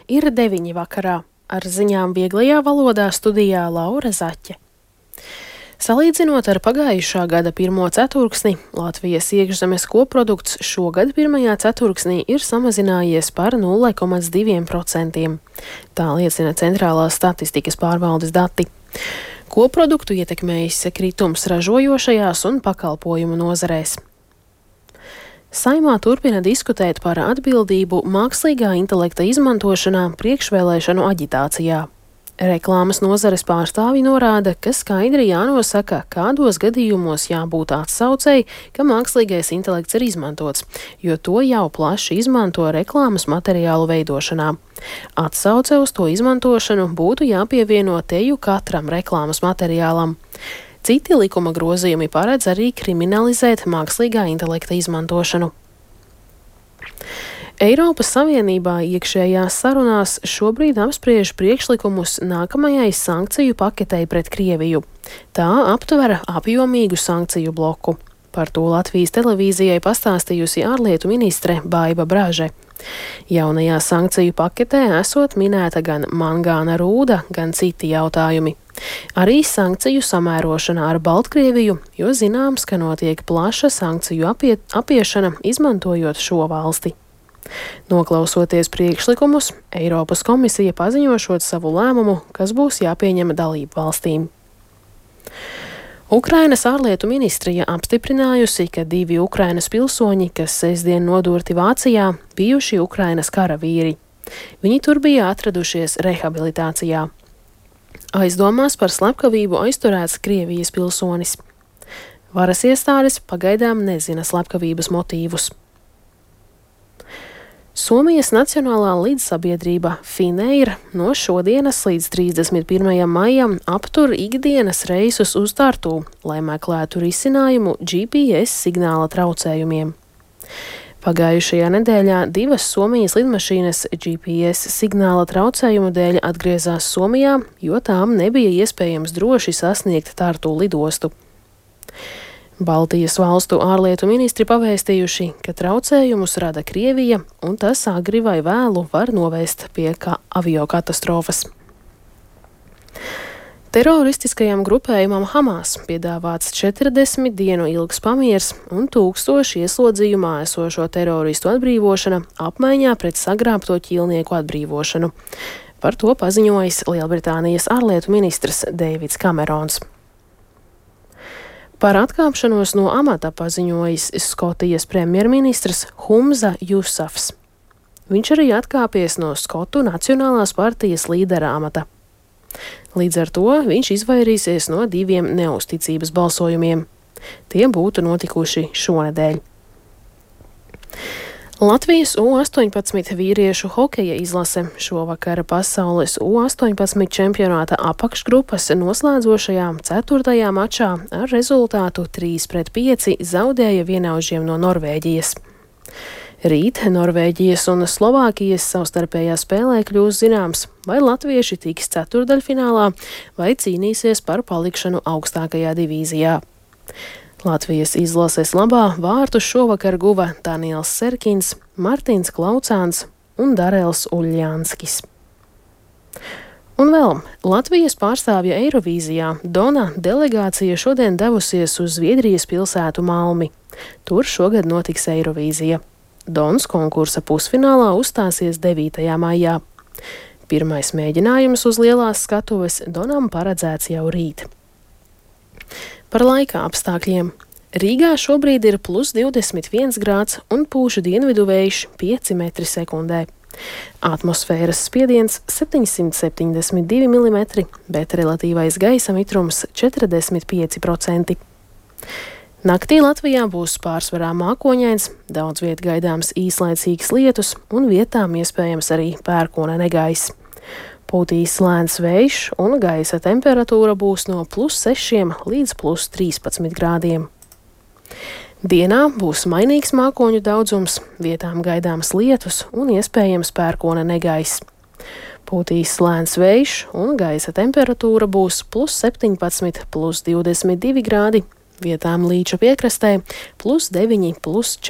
Ir 9 vakarā. Ar ziņām vieglajā valodā studijā Laura Zaķe. Salīdzinot ar pagājušā gada pirmo ceturksni, Latvijas iekšzemes koprodukts šogad pirmajā ceturksnī ir samazinājies par 0,2%. Tā liecina Centrālās statistikas pārvaldes dati. Koproduktu ietekmējis kritums ražojošajās un pakalpojumu nozarēs. Saimā turpina diskutēt par atbildību mākslīgā intelekta izmantošanā priekšvēlēšanu aģitācijā. Reklāmas nozares pārstāvji norāda, ka skaidri jānosaka, kādos gadījumos jābūt atsaucei, ka mākslīgais intelekts ir izmantots, jo to jau plaši izmanto reklāmas materiālu veidošanā. Atsauce uz to izmantošanu būtu jāpievieno teju katram reklāmas materiālam. Citi likuma grozījumi paredz arī kriminalizēt mākslīgā intelekta izmantošanu. Eiropas Savienībā iekšējās sarunās šobrīd apspriež priekšlikumus nākamajai sankciju paketei pret Krieviju. Tā aptver apjomīgu sankciju bloku. Par to Latvijas televīzijai pastāstījusi ārlietu ministre Baiva Braže. Jaunajā sankciju paketē esot minēta gan mangāna rūda, gan citi jautājumi. Arī sankciju samērošana ar Baltkrieviju, jo zināms, ka notiek plaša sankciju apiešana, izmantojot šo valsti. Noklausoties priekšlikumus, Eiropas komisija paziņošot savu lēmumu, kas būs jāpieņem dalību valstīm. Ukrainas ārlietu ministrija apstiprinājusi, ka 2 Ukrainas pilsoņi, kas sestdien nodurti Vācijā, bijuši Ukrainas karavīri. Viņi tur bija atradušies rehabilitācijā. Aizdomās par slepkavību aizturēts Krievijas pilsonis. Varas iestādes pagaidām nezina slepkavības motīvus. Somijas Nacionālā līdzsabiedrība Finnair no šodienas līdz 31. maijam aptur ikdienas reisus uz Tartu, lai meklētu risinājumu GPS signāla traucējumiem. Pagājušajā nedēļā 2 Somijas lidmašīnas GPS signāla traucējumu dēļ atgriezās Somijā, jo tām nebija iespējams droši sasniegt Tartu lidostu. Baltijas valstu ārlietu ministri pavēstījuši, ka traucējumus rada Krievija, un tas agri vai vēlu var novest pie aviokatastrofas. Teroristiskajam grupējumam Hamas piedāvāts 40 dienu ilgs pamiers un 1000 ieslodzījumā esošo teroristu atbrīvošana apmaiņā pret sagrābto ķīlnieku atbrīvošanu. Par to paziņojis Lielbritānijas ārlietu ministrs Deivids Kamerons. Par atkāpšanos no amata paziņojis Skotijas premjerministrs Humza Jusafs. Viņš arī atkāpies no Skotu Nacionālās partijas līdera amata. Līdz ar to viņš izvairīsies no 2 neusticības balsojumiem. Tie būtu notikuši šonedēļ. Latvijas U-18 vīriešu hokeja izlase šovakar pasaules U-18 čempionāta apakšgrupas noslēdzošajā 4. mačā ar rezultātu 3-5 zaudēja vienaužiem no Norvēģijas. Rīt Norvēģijas un Slovākijas savstarpējā spēlē kļūs zināms, vai latvieši tiks ceturdaļfinālā vai cīnīsies par palikšanu augstākajā divīzijā. Latvijas izlases labā vārtus šovakar guva Daniels Serkins, Martins Klaucāns un Darels Uļļānskis. Un vēl Latvijas pārstāvja Eirovīzijā Dona delegācija šodien devusies uz Zviedrijas pilsētu Malmi. Tur šogad notiks Eirovīzija. Dons konkursa pusfinālā uzstāsies 9. maijā. Pirmais mēģinājums uz lielās skatuves Donam paredzēts jau rīt. Par laika apstākļiem. Rīgā šobrīd ir +21 grāds un pūš dienvidu vējš 5 m/sekundē. Atmosfēras spiediens 772 mm, bet relatīvais gaisa mitrums 45%. Naktī Latvijā būs pārsvarā mākoņains, daudz viet gaidāms īslaicīgs lietus un vietām iespējams arī pērkona negaiss. Pūtīs lēns vējš un gaisa temperatūra būs no +6 līdz +13 grādiem. Dienā būs mainīgs mākoņu daudzums, vietām gaidāms lietus un iespējams pērkona negaiss. Pūtīs lēns vējš un gaisa temperatūra būs +17, +22 grādi, vietām Līča piekrastē +9, +4.